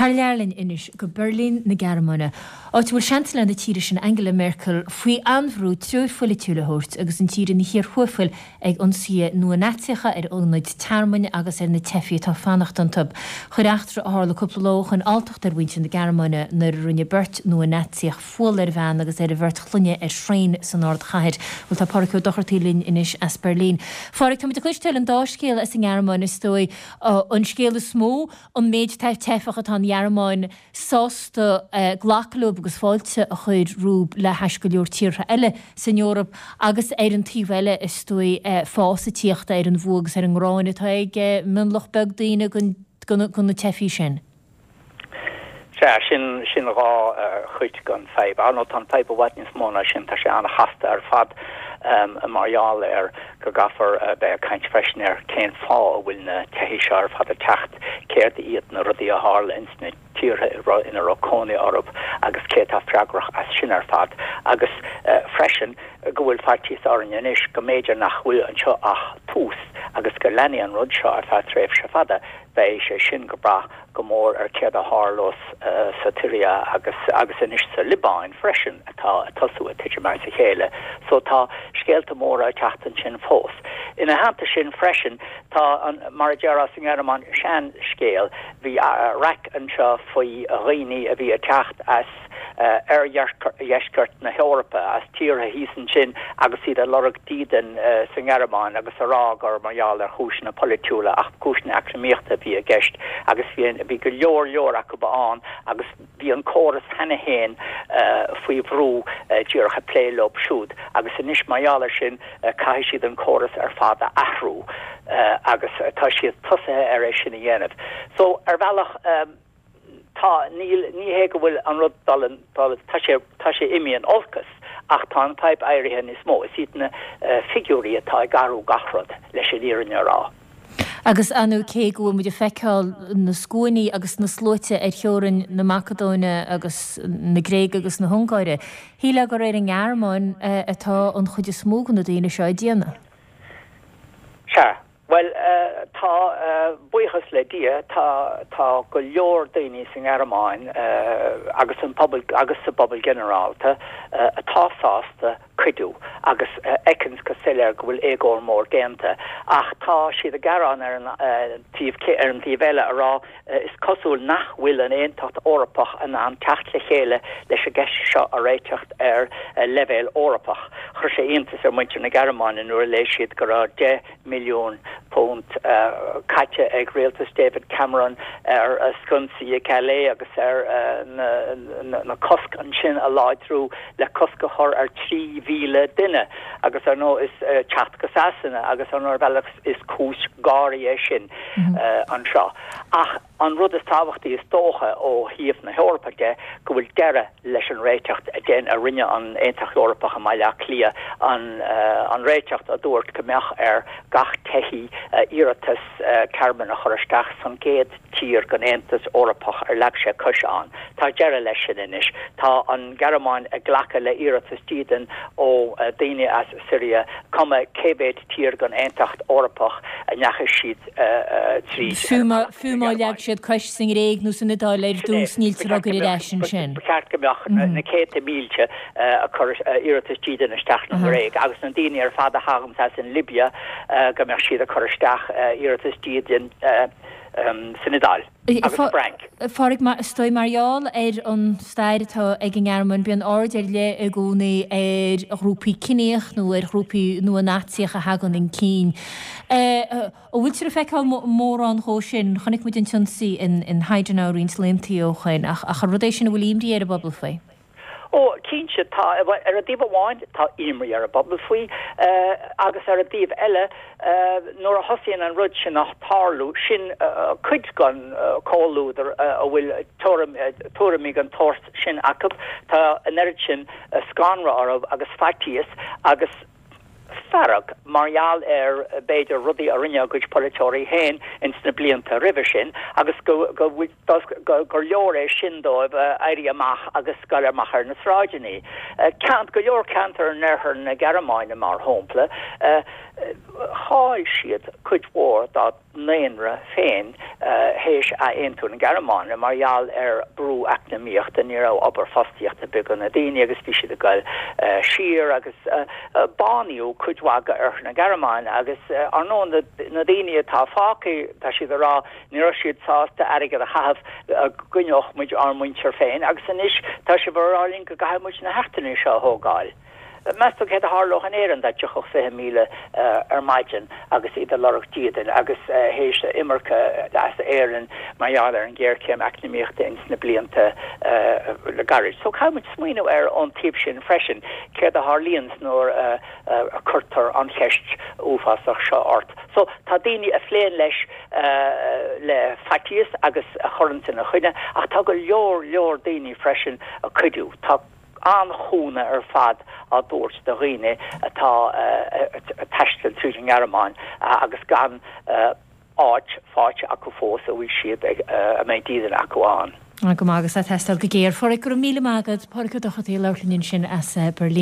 Thar lear linn anois go Beirlín na Gearmáine, áit a bhfuil Seansailéir na tíre sin Angela Merkel faoi an-bhrú treoir pholaitiúil a thabhairt agus an tír ina chíor thuaiphill ag ionsaithe nua-Naitsíocha ar ionaid tearmainn agus ar na teifigh atá ag fanacht iontu. Chuir eachtra a tharla cúpla lá ó shoin alltacht ar mhuintir na Gearmáine nuair a rinne beirt nua-Naitsíoch fual ar bhean agus ar a bheirt chlainne ar thraein san ardchathair. Bhuel tá Pádhraic Ó Dochartaigh linn anois as Beirlín. Phádhraic, táimid ag cloisteáil an dá scéal as an nGearmáin is dóigh. An scéal is mó, an méid teifeach atá an Ghearmáin sásta glacadh leo agus fáilte a chur rompu le hais go leor tíortha eile san Eoraip agus ar an taobh eile is dóigh fás ag tíocht ar an bhfuath agus ar an ngráin atá ag mionlach beag daoine do na teifigh sin. Sea, sin, sin dha chuid den fadhb. Ar ndóigh tá an fadhb i bhfad níos mó ná sin, tá sé an-chasta ar fad mar gheall ar go gcaithfear a bheith ag caint freisin ar cén fáth a bhfuil na teifigh seo ar fad ag teacht, céard iad na rudaí a tharla ins na tíortha ina raibh cónaí orthu agus cé atá freagrach as sin ar fad agus freisin go bhfuil faitíos orainn anois go mb'fhéidir nach bhfuil anseo ach tús agus go leanfaidh an rud seo ar feadh tréimhse fada. Beidh sé sin ag brath go mór ar céard a tharlós sa tSiria agus agus anois sa Liobáin freisin atá ag tosú ag titim as a chéile. So tá scéalta móra ag teacht ansin fós. Ina theannta sin freisin tá an, mar a déarfá sa nGearmáin, seanscéal. Bhí raic anseo faoi dhaoine a bhí ag teacht as oirdheisceart na hEorpa, as tíortha thíos ansin agus iad ag lorg dídean sa nGearmáin agus a rá gur mar gheall ar chúiseanna polaitiúla ach cúiseanna eacnamaíochta a bhí i gceist agus bhí bhí go leor leor acu ann agus bhí an córas cheana féin faoi bhrú díreach ag plé leo siúd agus anois mar gheall ar sin caithfidh siad an córas ar fad a athrú agus tá siad tosaithe ar é sin a dhéanamh. So ar bhealach Tá, níl, ní hé go bhfuil an rud dul in, dul, tá sé, tá sé imithe in olcas ach tá an fadhb éirithe níos mó. Is iad na figiúirí atá ag athrú gach rud, leis an fhírinne a rá. Agus ar ndóigh cé go bhfuil muid ag feiceáil na scuainí agus na sluaite ar theorainn na Macadóine agus na Gréige agus na hUngáire, shílfeá gur ar an nGearmáin atá an chuid is mó de na daoine seo ag déanamh. Sea. Bhuel, tá, buíochas le Dia, tá, tá go leor daoine sa nGearmáin agus an pobal, agus sa bpobal ginearálta atá sásta cuidiú agus fheiceanns go soiléir go bhfuil éagóir mór déanta. Ach tá siad ag gearán ar an taobh, ar an taobh eile a rá, is cosúil nach bhfuil an Aontacht Eorpach in ann teacht le chéile leis an gceist seo a réiteacht ar leibhéal Eorpach. Chuir sé iontas ar mhuintir na Gearmáine nuair a léigh siad go raibh £10 milliún caite ag rialtas David Cameron ar sconsaí i Calais agus ar na cosc ansin a láidriú le cosc a chur ar 3,000 duine agus ar ndóigh is teacht go Sasana agus ar ndóigh ar bhealach is cúis gáirí é sin anseo. Ach an rud is tábhachtaí is dócha ó thaobh na hEorpa de go bhfuil deireadh leis an réiteacht a dein a rinne an Aontacht Eorpach i mBaile Átha Cliath, an an réiteacht a dúirt go mbeadh ar gach teithí iarratas tearmainn a chur isteach san gcéad tír den Aontas Eorpach ar leag sé cois ann. Tá deireadh leis sin anois. Tá an Ghearmáin ag glacadh le iarratas dídean ó daoine as Siria, cuma cé mhéad tír den Aontacht Eorpach a ndeachaigh siad tríd. Fiú má leag siad cois sa nGréig nó san Iodáil ar dtús, níltear á gcur ar ais ansin. Ba cheart go mbeadh na céadta mílte ag cur iarratas dídine isteach sa nGréig agus na daoine ar fad a thaganns as an Libia go mbeadh siad ag cur isteach iarratas dídine san Iodáil agus sa bhFrainc. A Phádraig, is dóigh mar gheall ar an stair atá ag an nGearmáin, bíonn aird ar leith i gcónaí ar ghrúpaí ciníoch nó ar ghrúpaí nua-Naitsíocha a thagann chun cinn. An bhfuiltear ag feiceáil mórán dhó sin? Chonaic muid an t-ionsaí in Heidenau roinnt laethanta ó shoin, ach an rud é sin a bhfuil imní ar an bpobal faoi? Ó, cinnte, tá. Ar an dtaobh amháin, tá imní ar an bpobal faoi, agus ar an dtaobh eile, nuair a thosaíonn an rud sin ag tarlú, sin cuid den chomhluadar a bhfuil tuairimí den tsórt sin acu, tá an oiread sin scanradh orthu agus faitíos agus. fearg mar gheall ar, b'fhéidir, rudaí a rinne a gcuid polaiteoirí féin ins na blianta roimhe sin agus go gur leor é sin dóibh éirí amach agus goil amach ar na sráideanna. Ceant, go leor ceantar in oirthear na Gearmáine, mar shampla, chaill siad cuid mhór dá. ndaonra féin théis athaontú na Gearmáine mar gheall ar brú eacnamaíochta, ní raibh obair fostaíocht ar bith do na daoine agus bhí siad ag goil siar agus bánaíodh cuid mhaith de oirthear na Gearmáine agus ar ndóigh na daoine atá fágtha tá siad ag rá ní raibh siad sásta airgead a chaitheamh go gcoinneodh muid ár muintir féin agus anois tá sibh ag rá linn go gcaithfidh muid na heachtrannaigh seo a thógáil. Meas tú céard a tharlódh in Éirinn dá dtiocfadh 20,000 ar maidin agus iad ag lorg dídean agus théis imirce as Éirinn mar gheall ar an ghéarchéim eacnamaíochta ins na blianta le gairid. So caithfidh muid smaoineamh air ón taobh sin freisin, céard a tharlaíonns nuair a cuirtear an cheist uafásach seo ort. So tá daoine a phléann leis le faitíos agus a chuireanns ina choinne ach tá go leor leor daoine freisin ag cuidiú. Tá. an-chúnamh ar fad á dtabhairt do dhaoine atá ag taisteal tríd an nGearmáin agus gan áit faighte acu fós a bhfuil siad ag, a mbeidh dídean acu ann. Go maith agus ag teastáil go géar. A Phádraig, go raibh míle maith agat. Pádraig Ó Dochartaigh ag labhairt linn ansin as Beirlín.